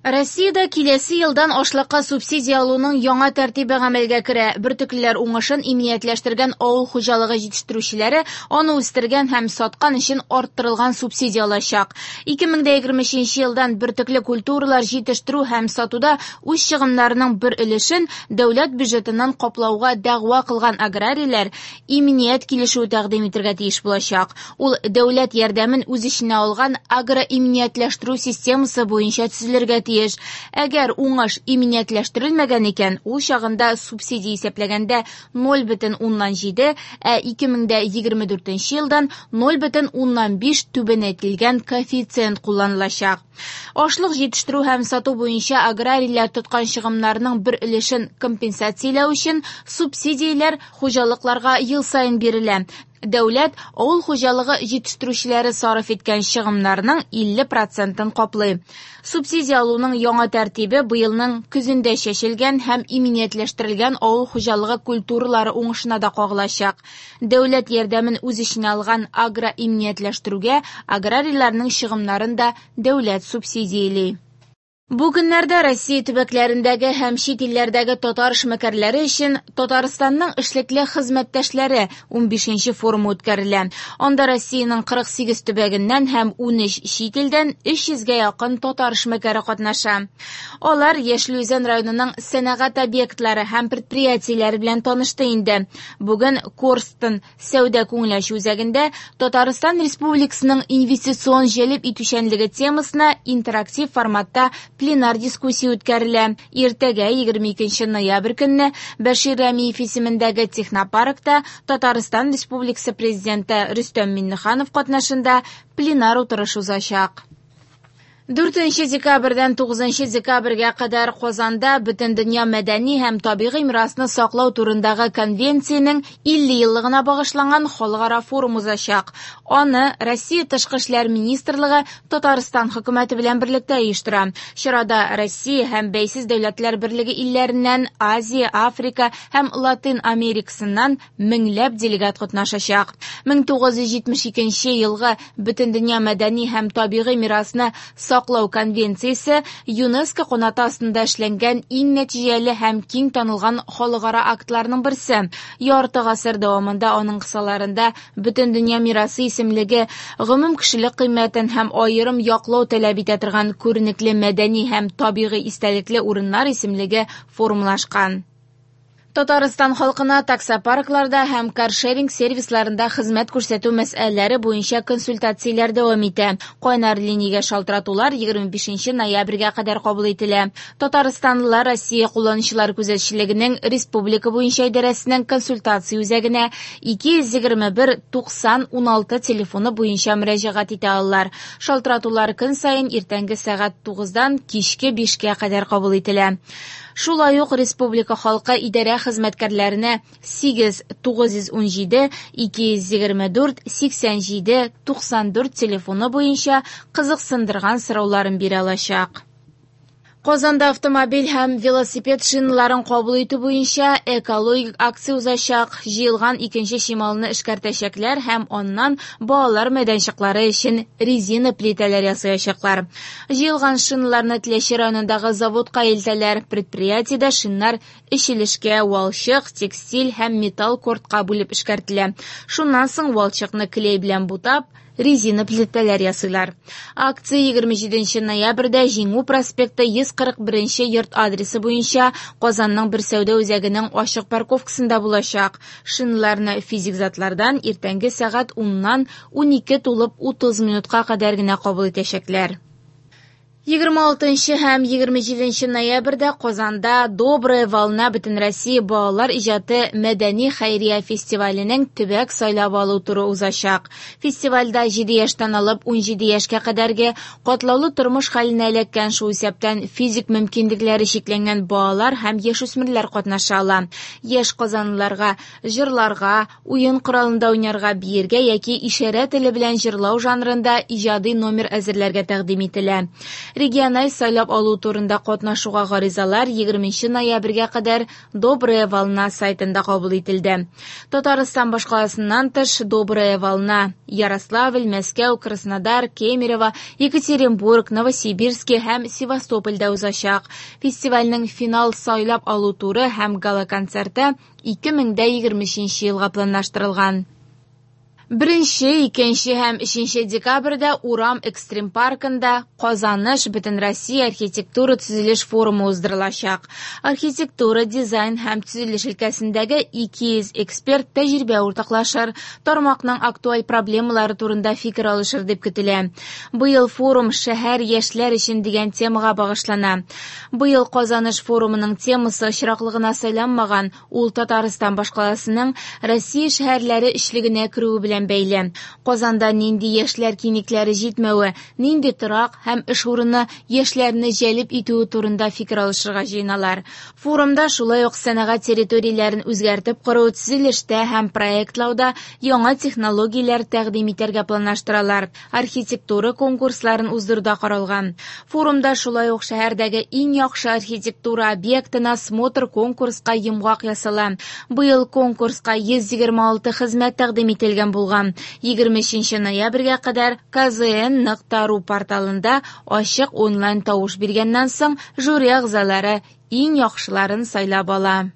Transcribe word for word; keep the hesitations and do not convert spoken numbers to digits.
Россиядә киләсе елдан ашлыкка субсидия алуның яңа тәртибе гамәлгә керә. Бөртеклеләр уңышын иминиятләштергән авыл хуҗалыгы җитештерүчеләре аны үстергән һәм саткан өчен арттырылган субсидия алачак. ике мең дә егерме өченче елдан бөртекле культуралар җитештерү һәм сатуда үз чыгымнарының бер өлешен дәүләт бюджетыннан каплауга дәгъва кылган аграрийлар иминият килешүе тәкъдим итәргә тиеш булачак. Ул дәүләт ярдәмен үз эченә алган агроиминиятләштерү системасы буенча төзелергә тиеш. Әгәр уңыш иминиятләштерелмәгән икән, ул чагында субсидия исәпләгәндә ноль бөтен уннан җиде, ә ике мең дә егерме дүртенче елдан ноль бөтен уннан биш түбәнәйтелгән коэффициент кулланылачак. Ашлык җитештерү һәм сату буенча аграрийлар тоткан чыгымнарның бер өлешен компенсацияләү өчен субсидияләр хуҗалыкларга ел саен бирелә. Дәүләт авыл хуҗалыгы җитештерүчеләре сарыф иткән чыгымнарның илле процентын каплый. Субсидия алуның яңа тәртибе быелның көзендә чәчелгән һәм иминиятләштерелгән авыл хуҗалыгы культуралары уңышына да кагылачак. Дәүләт ярдәмен үз эченә алган агроиминиятләштерүгә аграрийларның чыгымнарын да дәүләт субсидияли. Бу көннәрдә Россия төбәкләрендәге һәм чит илләрдәге татар эшмәкәрләре өчен Татарстанның эшлекле хезмәттәшләре унбишенче форумы үткәрелә. Анда Россиянең кырык сигез төбәгеннән һәм унөч чит илдән өч йөзгә якын татар эшмәкәре катнаша. Алар Яшел Үзән районының сәнәгать объектлары һәм предприятиеләре белән танышты инде. Бүген Корстон сәүдә күңел ачу үзәгендә Татарстан Республикасының инвестицион җәлеп итүчәнлеге темасына интерактив форматта пленар дискуссия үткәрелә. Иртәгә егерме икенче ноябрь көнне Бәшир Рәмиев исемендәге технопаркта Татарстан Республикасы Президенты Рөстәм Миңнеханов катнашында пленар утырыш узачак. Дүртенче декабрьдән тугызынчы декабрьгә кадәр Казанда Бөтендөнья мәдәни һәм табигый мирасны саклау турындагы конвенциянең илле еллыгына багышланган халыкара форум узачак. Аны Россия Тышкы эшләр министрлыгы Татарстан хөкүмәте белән берлектә оештыра. Чарада Россия һәм Бәйсез Дәүләтләр Берлеге илләреннән, Азия, Африка һәм Латин Америкасыннан меңләп делегат катнашачак. Мең тугыз йөз җитмеш икенче елгы Бөтендөнья мәдәни һәм табигый мирасны саклау конвенциясе ЮНЕСКО канаты астында эшләнгән иң нәтиҗәле һәм киң танылган халыкара актларның берсе. Ярты гасыр дәвамында аның кысаларында Бөтендөнья мирасы исемлеге гомум кешелек кыйммәтен һәм аерым яклау таләп итә торган күренекле мәдәни һәм табигый истәлекле урыннар исемлеге формалашкан. Татарстан халкына таксопаркларда һәм каршеринг сервисларында хезмәт күрсәтү мәсьәләләре буенча консультацияләр дәвам итә. Кайнар линиягә шалтыратулар егерме бишенче ноябрьгә кадәр кабул ителә. Татарстанлылар Россия кулланучылар күзәтчелегенең республика буенча идарәсенең консультация үзәгенә ике йөз егерме бер туксан уналты телефоны буенча мөрәҗәгать итә алалар. Шалтыратулар көн саен иртәнге сәгать тугыздан кичке бишкә кадәр кабул ителә. Шулай ук республика халкы идарә хезмәткәрләренә сигез тугыз йөз ун җиде ике йөз егерме дүрт сиксән җиде туксан дүрт телефоны буенча кызыксындырган сорауларын бирә алачак. Казанда автомобиль һәм велосипед шиналарын кабул итү буенча экологик акция узачак. Җыелган икенче чималны эшкәртәчәкләр һәм аннан балалар мәйданчыклары өчен резина плитәләр ясаячаклар. Җыелган шиналарны Теләче районындагы заводка илтәләр. Предприятиедә шиннар өч өлешкә валчык, текстиль һәм металл кортка бүлеп эшкәртелә. Шуннан соң валчыкны клей белән бутап, резина плитәләр ясыйлар. Акция егерме җиденче ноябрьдә Җиңү проспекты йөз кырык беренче йорт адресы буенча Казанның бер сәүдә үзәгенең ачык парковкасында булачак. Шиналарны физик затлардан иртәнге сәгать уннан унике тулып утыз минутка кадәр генә кабул итәчәкләр. Егерме алтынчы һәм егерме җиденче ноябрьдә Казанда Добрая волна Бөтенроссия балалар иҗаты мәдәни хәйрия фестиваленең төбәк сайлап алу туры узачак. Фестивальдә җиде яшьтән алып ун җиде яшькә кадәрге катлаулы тормыш хәленә эләккән, шул исәптән физик мөмкинлекләре чикләнгән балалар һәм яшүсмерләр катнаша ала. Яшь казанлыларга җырларга, уен коралында уйнарга, биергә яки ишарә теле белән җырлау жанрында иҗади номер әзерләргә тәкъдим ителә. Региональ сайлап алу турында катнашуга гаризалар егерменче ноябрьгә кадәр Добрая волна сайтында кабул ителде. Татарстан башкаласыннан тыш Добрая волна Ярославль, Мәскәү, Краснодар, Кемерово, Екатеринбург, Новосибирск һәм Севастопольдә узачак. Фестивальнең финал сайлап алу туры һәм гала-концерты ике мең дә егерме өченче елга планлаштырылган. Беренче, икенче һәм өченче декабрьдә Урам экстрим паркында Казаныш Бөтенроссия архитектура төзелеш форумы уздырылачак. Архитектура, дизайн һәм төзелеш өлкәсендәге ике йөз эксперт тәҗрибә уртаклашыр, тармакның актуаль проблемалары турында фикер алышыр дип көтелә. Быел форум шәһәр яшьләр өчен дигән темага багышлана. Быел Казаныш форумының темасы очраклы гына сайланмаган, ул Татарстан башкаласының Россия шәһәрләре өчлегенә керүе белән бәйле. Казанда нинди яшьләр киңлекләре җитмәве, нинди торак һәм эш урыны яшьләрне җәлеп итүе турында фикер алышырга җыеналар. Форумда шулай ук сәнәгать территорияләрен үзгәртеп кору, төзелештә һәм проектлауда яңа технологияләр тәкъдим итәргә планлаштыралар. Архитектура конкурсларын уздыруда каралган. Форумда шулай ук шәһәрдәге иң яхшы архитектура объектына смотр конкурска йомгак ясала. Быел конкурска йөз егерме алты хезмәт тәкъдим ителгән булган. Егерме өченче ноябрьгә кадәр К З Н нокта ру порталында ачык онлайн тавыш биргәннән соң жюри әгъзалары иң яхшыларын сайлап ала.